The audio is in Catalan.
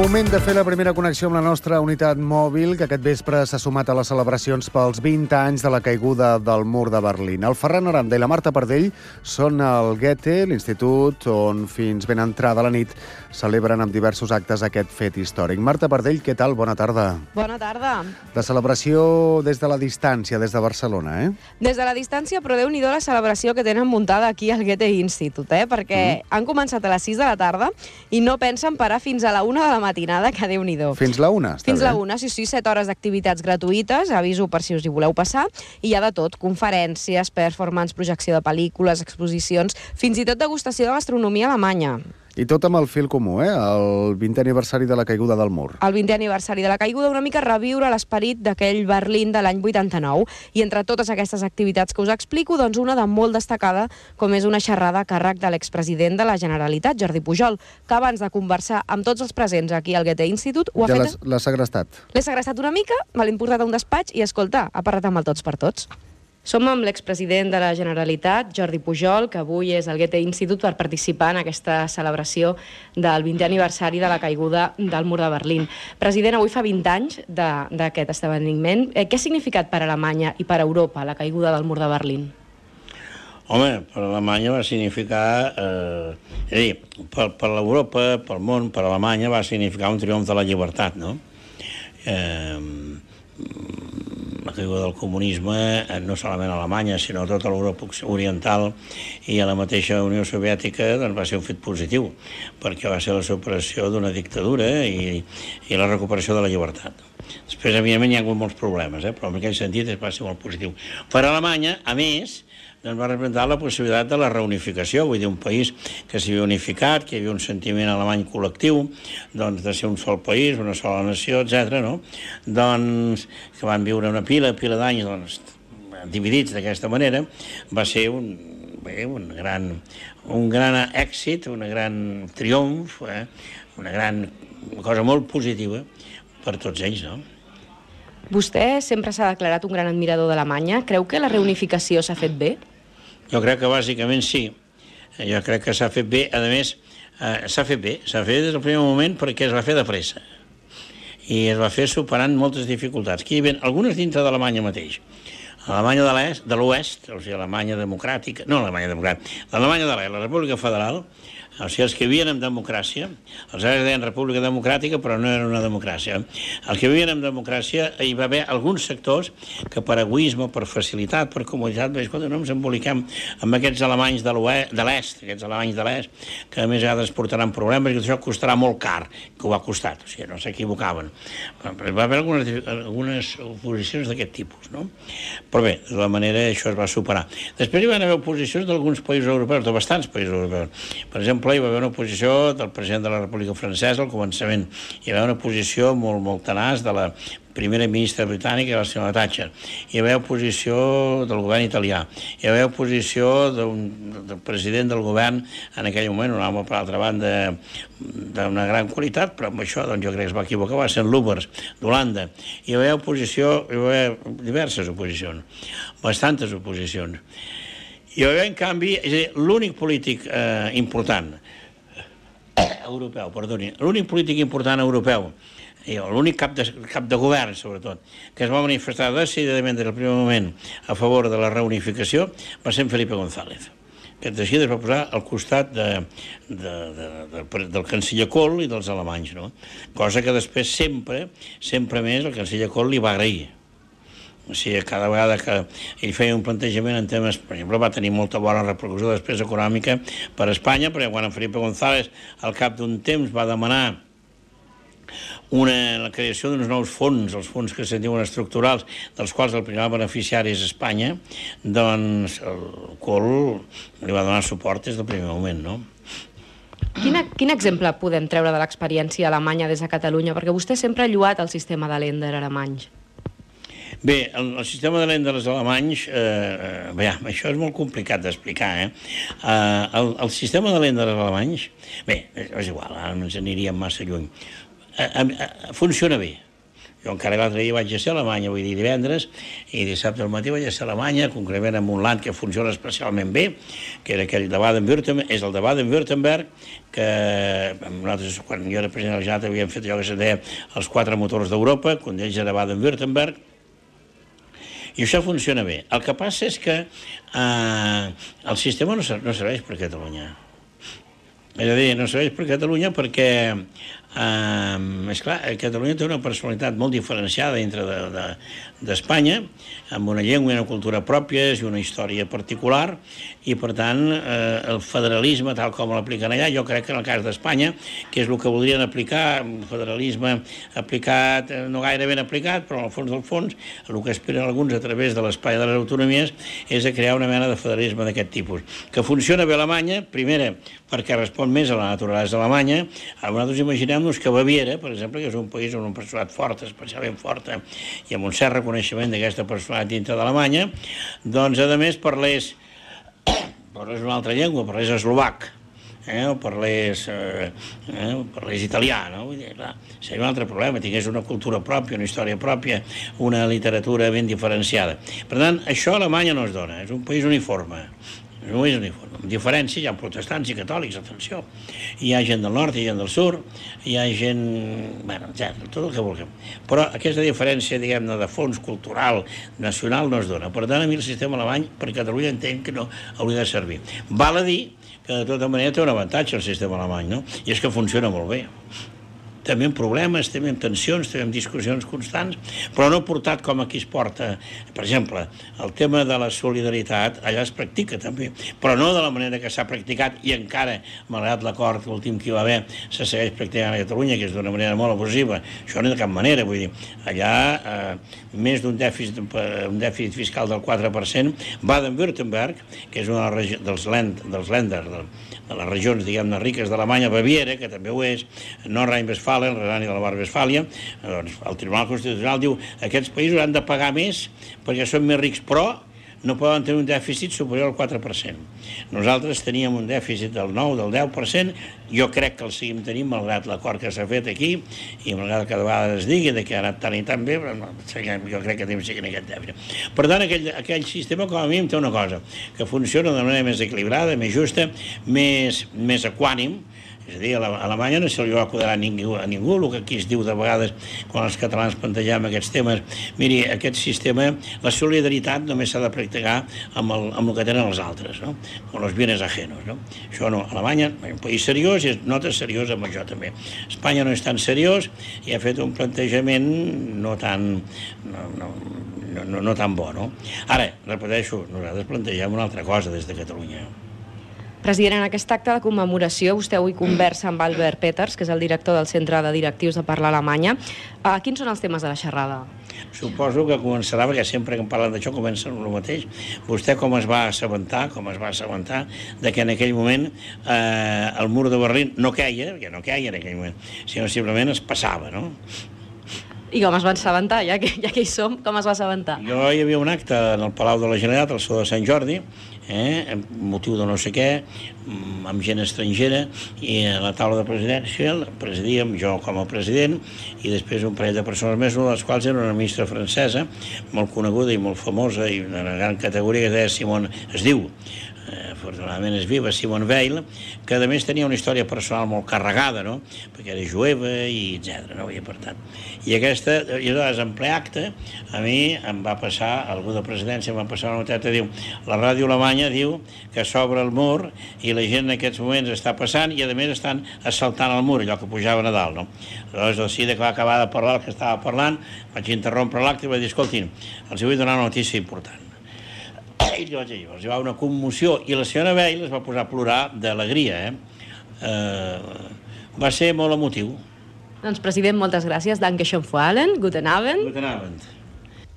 Moment de fer la primera connexió amb la nostra unitat mòbil, que aquest vespre s'ha sumat a les celebracions pels 20 anys de la caiguda del mur de Berlín. El Ferran Aranda i la Marta Pardell són al Goethe, l'institut on fins ben entrada la nit celebren amb diversos actes aquest fet històric. Marta Pardell, què tal? Bona tarda. Bona tarda. La celebració des de la distància, des de Barcelona, eh? Des de la distància, però Déu-n'hi-do la celebració que tenen muntada aquí al Goethe Institute, perquè han començat a les 6 de la tarda i no pensen parar fins a la 1 de la matinada, que Déu-n'hi-do. Fins la 1, està Fins bé. la 1, sí, 7 hores d'activitats gratuïtes, aviso per si us hi voleu passar, i hi ha de tot, conferències, performance, projecció de pel·lícules, exposicions, fins i tot degustació de gastronomia alemanya. I tot amb el fil comú, el 20è aniversari de la caiguda del mur. El 20è aniversari de la caiguda, una mica reviure l'esperit d'aquell Berlín de l'any 89. I entre totes aquestes activitats que us explico, doncs una de molt destacada, com és una xerrada a càrrec de l'expresident de la Generalitat, Jordi Pujol, que abans de conversar amb tots els presents aquí al Goethe Institute ho ha fet... L'ha segrestat. L'he segrestat una mica, me l'he portat a un despatx i, escolta, ha parlat amb el tots per tots. Som amb l'expresident de la Generalitat, Jordi Pujol, que avui és al Goethe Institute per participar en aquesta celebració del 20è aniversari de la caiguda del mur de Berlín. President, avui fa 20 anys d'aquest esdeveniment. Què ha significat per Alemanya i per Europa la caiguda del mur de Berlín? Home, per Alemanya va significar... és a dir, per l'Europa, pel món, per Alemanya va significar un triomf de la llibertat, no? La caiguda del comunisme, no solament a Alemanya, sinó a tota l'Europa oriental i a la mateixa Unió Soviètica, doncs va ser un fet positiu, perquè va ser la superació d'una dictadura i la recuperació de la llibertat. Després, evidentment, hi ha hagut molts problemes, però en aquell sentit va ser molt positiu. Per Alemanya, a més, doncs va representar la possibilitat de la reunificació, vull dir, un país que s'havia unificat, que hi havia un sentiment alemany col·lectiu, doncs de ser un sol país, una sola nació, etc. no? Doncs que van viure una pila d'anys doncs, dividits d'aquesta manera, va ser un gran èxit, un gran triomf, una cosa molt positiva per tots ells, no? Vostè sempre s'ha declarat un gran admirador d'Alemanya. Creu que la reunificació s'ha fet bé? Jo crec que bàsicament sí. Jo crec que s'ha fet bé. A més, s'ha fet bé. S'ha fet des del primer moment perquè es va fer de pressa. I es va fer superant moltes dificultats. Aquí hi havia algunes dintre d'Alemanya mateix. L'Alemanya de l'Oest, o sigui, l'Alemanya democràtica... No, l'Alemanya democràtica. L'Alemanya de l'Est, la República Federal, o sigui, els que vivien en democràcia, els deien República Democràtica, però no era una democràcia. Els que vivien en democràcia, hi va haver alguns sectors que per egoisme, per facilitat, per comoditat, escolta, no ens emboliquem amb aquests alemanys de l'Est, aquests alemanys de l'Est, que a més a vegades portaran problemes i que això costarà molt car, que ho ha costat, o sigui, no s'equivocaven. Va haver algunes oposicions d'aquest tipus, no? Però bé, de la manera això es va superar. Després hi van haver oposicions d'alguns països europeus, de bastants països europeus. Per exemple, hi va haver una oposició del president de la República Francesa al començament. Hi va haver una oposició molt tenaç de la primera ministra britànica, la senyora Thatcher. Hi va haver oposició del govern italià. Hi va haver oposició del president del govern en aquell moment, un home, per altra banda, d'una gran qualitat, però amb això doncs, jo crec que es va equivocar, va ser en Lubbers, d'Holanda. Hi va haver oposició, hi va haver diverses oposicions, bastantes oposicions. Hi va haver, en canvi, és a dir, l'únic polític important europeu, perdoni, l'únic polític important europeu, l'únic cap de govern, sobretot, que es va manifestar decididament des del primer moment a favor de la reunificació, va ser en Felipe González, que així es va posar al costat del canceller Kohl i dels alemanys, no? Cosa que després sempre més el canceller Kohl li va agrair. O sigui, cada vegada que ell feia un plantejament en temes, per exemple, va tenir molta bona repercussió després econòmica per a Espanya, perquè quan en Felipe González al cap d'un temps va demanar la creació d'uns nous fons, els fons que se'n diuen estructurals, dels quals el primer beneficiari és Espanya, doncs el Kohl li va donar suport des del primer moment, no? Quin exemple podem treure de l'experiència alemanya des de Catalunya? Perquè vostè sempre ha lloat el sistema de Länder alemany. Bé, el sistema de Länder alemanys, això és molt complicat d'explicar, El sistema de Länder alemanys, bé, és igual, ara no ens aniríem massa lluny, funciona bé. Jo encara l'altre dia vaig ser a Alemanya, vull dir divendres, i dissabte al matí vaig ser a Alemanya, concretament en un land que funciona especialment bé, que era aquell de Baden-Württemberg, és el de Baden-Württemberg, que nosaltres, quan jo era president de la Generalitat, havíem fet allò que se deia els 4 motors d'Europa, un d'ells era Baden-Württemberg, i això funciona bé. El que passa és que el sistema no serveix per Catalunya. És a dir, no serveix per Catalunya perquè, esclar, Catalunya té una personalitat molt diferenciada dintre d'Espanya, amb una llengua i una cultura pròpies i una història particular, i per tant el federalisme tal com l'apliquen allà, jo crec que en el cas d'Espanya, que és el que voldrien aplicar, un federalisme aplicat, no gaire ben aplicat, però en el fons del fons, el que aspiren alguns a través de l'espai de les autonomies és a crear una mena de federalisme d'aquest tipus. Que funciona bé a Alemanya, primera, perquè respon més a la naturalesa alemanya. Nosaltres imaginem-nos que Baviera, per exemple, que és un país amb una personalitat forta, especialment forta, i amb un cert reconeixement d'aquesta personalitat dintre d'Alemanya, doncs, a més, parlés una altra llengua, parlés eslovac, o parlés italià, no? Vull dir, clar, seria un altre problema, tingués una cultura pròpia, una història pròpia, una literatura ben diferenciada. Per tant, això a Alemanya no es dona, és un país uniforme. No és uniforme. Amb diferència, hi ha protestants i catòlics, atenció. Hi ha gent del nord, hi ha gent del sud, hi ha gent... Bueno, tot el que vulguem. Però aquesta diferència, diguem-ne, de fons cultural, nacional, no es dona. Per tant, a mi el sistema alemany, per Catalunya, entenc que no hauria de servir. Val a dir que, de tota manera, té un avantatge el sistema alemany, no? I és que funciona molt bé. També amb problemes, també amb tensions, també amb discussions constants, però no portat com aquí es porta. Per exemple, el tema de la solidaritat, allà es practica també, però no de la manera que s'ha practicat i encara, malgrat l'acord últim que hi va haver, se segueix practicant a Catalunya, que és d'una manera molt abusiva. Això no de cap manera, vull dir, allà més d'un dèficit fiscal del 4%, Baden-Württemberg, que és una dels Länder, de les regions, diguem-ne, riques d'Alemanya, Baviera, que també ho és, Nordrhein-Westfalen, Renània de la Mar-Westfàlia, doncs el Tribunal Constitucional diu que aquests països han de pagar més perquè són més rics, però no poden tenir un dèficit superior al 4%. Nosaltres teníem un dèficit del 9, del 10%, jo crec que el seguim tenint, malgrat l'acord que s'ha fet aquí, i malgrat que cada vegada es digui que ha anat tan i tan bé, però no, jo crec que tenim seguint aquest dèficit. Per tant, aquell sistema, com a mínim, té una cosa, que funciona de manera més equilibrada, més justa, més equànim. És a dir, a Alemanya no se li va acudar a ningú, el que aquí es diu de vegades quan els catalans plantegem aquests temes. Miri, aquest sistema, la solidaritat només s'ha de practicar amb el que tenen els altres, no? Con los bienes ajenos, no? Això no, Alemanya és un país seriós i es nota seriós amb això també. Espanya no és tan seriós i ha fet un plantejament no tan bo, no? Ara, repeteixo, nosaltres plantegem una altra cosa des de Catalunya. President, en aquest acte de commemoració vostè avui conversa amb Albert Peters, que és el director del Centre de Directius de Parla Alemanya. Quins són els temes de la xerrada? Suposo que començarà, perquè sempre que em parlen d'això comença el mateix. Vostè com es va assabentar de que en aquell moment el mur de Berlín no queia, perquè no queia en aquell moment, sinó simplement es passava, no? I com es va assabentar, ja que hi som, com es va assabentar? Hi havia un acte en el Palau de la Generalitat, al Saló de Sant Jordi, amb motiu de no sé què, amb gent estrangera, i a la taula de presidència presidíem jo com a president i després un parell de persones més, una de les quals era una ministra francesa, molt coneguda i molt famosa i d'una gran categoria, que es diu, afortunadament és viva, Simone Weil, que a més tenia una història personal molt carregada, no? Perquè era jueva i etc. No? I per tant. I aleshores, en ple acte, a mi em va passar, algú de presidència em va passar una noteta, diu, la ràdio alemanya diu que s'obre el mur i la gent en aquests moments està passant i a més estan assaltant el mur, allò que pujava a Nadal, no? Aleshores, el CIDE, que va acabar de parlar el que estava parlant, vaig interrompre l'acte i vaig dir, escoltin, els vull donar una notícia important. I llavors hi va una commoció i la senyora Weil es va posar a plorar d'alegria. Va ser molt emotiu. Doncs, president, moltes gràcies. Danke schön für allen. Guten Abend. Guten Abend.